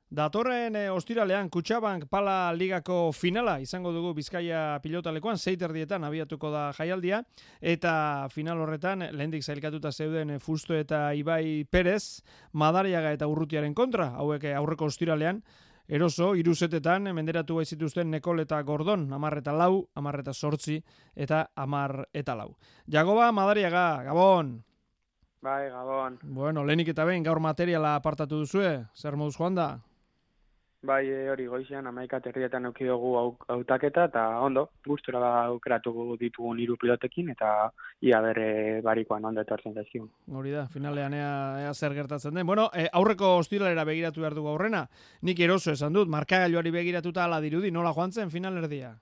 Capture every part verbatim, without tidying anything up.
Datorren e, ostiralean Kutxabank Pala Ligako finala izango dugu Bizkaia pilotalekoan, seiterdietan abiatuko da jaialdia, eta final horretan lehendik zailkatuta zeuden Fusto eta Ibai Perez, Madariaga eta Urrutiaren kontra, hauek aurreko ostiralean, eroso, iruzetetan, menderatu zituzten Nekol eta Gordon, amar eta lau, amar eta sortzi, eta amar eta lau. Jagoba, Madariaga, Gabon! Bai, Gabon. Bueno, lehenik eta behin gaur materiala apartatu duzue, zer moduz joan da? Bai, hori goizean amaika terrietan euki dugu hautaketa, eta ondo, gustura da aukeratu ditugun hiru pilotekin, eta ia bere barikoan ondo etortzen zaizkigun. Hori da, finalean ea, ea zer gertatzen den. Bueno, e, aurreko ostiralera begiratu behar dugu aurrena, nik eroso esan dut, markagailuari begiratuta ala dirudi, nola joan zen finalerdia?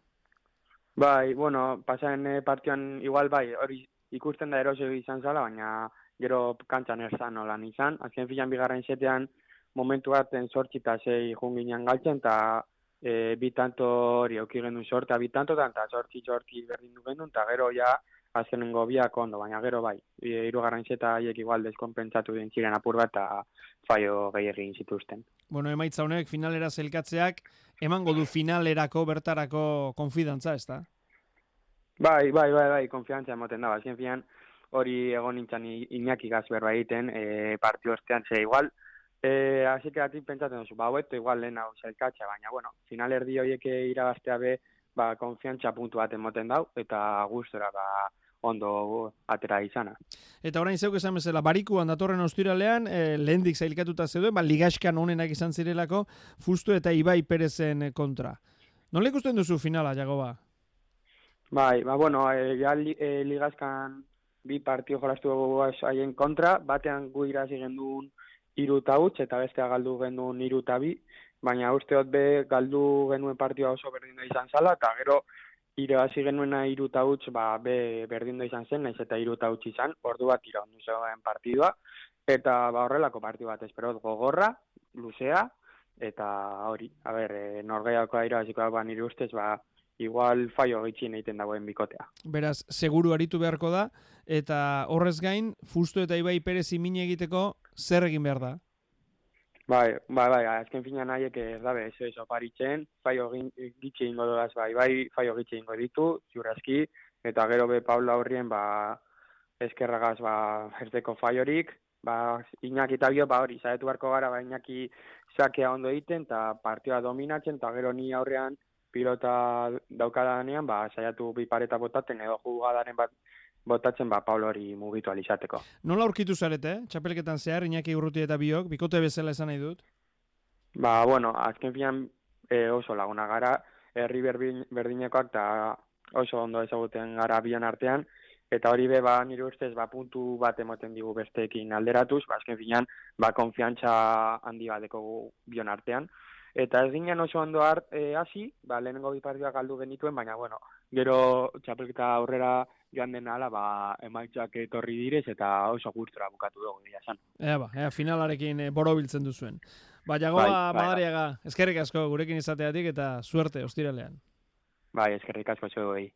Bai, bueno, pasaren e, partioan igual bai, hori ikusten da eroso izan zala, baina gero kantxan erzan nolan izan, azken filan bigarren setean, momentu baten sortzi eta zei junginan galtzen, eta e, bi tanto hori auki genuen sortea bi tantotan, eta sortzi sortzi berdin du genuen, eta gero ja azkenengo biak ondo, baina gero bai, hirugarren seta haiek igual deskonpentsatu den ziren apur bat, eta faio gehiagin zituzten. Bueno, emaitza honek finalera zelkatzeak, emango du finalerako bertarako konfidantza, ez da? Bai, bai, bai, bai, konfiantzia emoten da, azken fian hori egon nintzen Iñaki Gazberra egiten, e, partio ostean, ze igual, Eh, así que ati pentsatzen duzu, ba, hoeto igual lehen hau zelkatxa, baina, bueno, final erdi horiek irabaztea be, ba, konfiantza puntu bat emoten dau, eta gustora, ba, ondo atera izana. Eta orain zeuk esan bezala, barikuan datorren ostiralean, eh, lehendik zailkatuta zeuduen, ba, ligaskan onenak izan zirelako, Fusto eta Ibai Perezen kontra. Nola ikusten duzu finala, Jagoba? Bai, ba, bueno, eh, ja li, eh, ligaskan bi partio jolastu dugu haien kontra, batean gu irazi genduen hiru eta huts, eta bestea galdu genuen hiru eta bi, baina usteot be galdu genuen partioa oso berdinda izan zala, eta gero irabazi genuena hiru eta huts, ba, be berdinda izan zen, naiz eta hiru eta huts izan, ordu bat iraundu zegoen partidua, eta ba horrelako partio bat esperot gogorra, luzea, eta hori, a ber, e, norgeiakoa irabazikoa ba nire ustez, ba, igual faio gitxien egiten dagoen bikotea. Beraz, seguru aritu beharko da, eta horrez gain, Fusto eta Ibai Perez imine egiteko zer egin behar da? Bai, bai, bai, azken finan haiek ez dabe, eso, eso, paritzen, faio gitxe ingo dodaz, bai, bai, faio gitxe ingo ditu, ziurrazki, eta gero be Paula horrien, ba, eskerragaz, ba, erteko faiorik, ba, Iñaki eta bio, ba, hori, zaretu beharko gara, ba, Iñaki sakea ondo egiten, eta partioa dominatzen, eta gero ni aurrean, pilota daukadanean, ba, saiatu bi pareta botaten, edo jugadaren bat botatzen, ba, Paulo hori mugitu alizateko. Nola aurkitu zarete, eh? Txapelketan zehar, Iñaki Urruti eta biok, bikote bezala esan nahi dut? Ba, bueno, azken fian e, oso laguna gara, herri berdin, berdinekoak, eta oso ondo ezaguten gara bion artean, eta hori be, ba, nire ustez, ba, puntu bat emoten digu besteekin alderatuz, ba, azken finan, ba, konfiantza handi bateko bion artean, eta ez ginen oso ondo hart e, hasi, ba, lehenengo bi partioak galdu genituen, baina, bueno, gero txapelketa aurrera joan den ala, ba, emaitzak etorri direz, eta oso gustora bukatu dugu dira esan. Ea ba, ea, finalarekin e, borobiltzen duzuen. Ba, Jagoba, bai, bai, Madariaga, eskerrik asko gurekin izateatik eta suerte ostiralean. Bai, eskerrik asko zuei.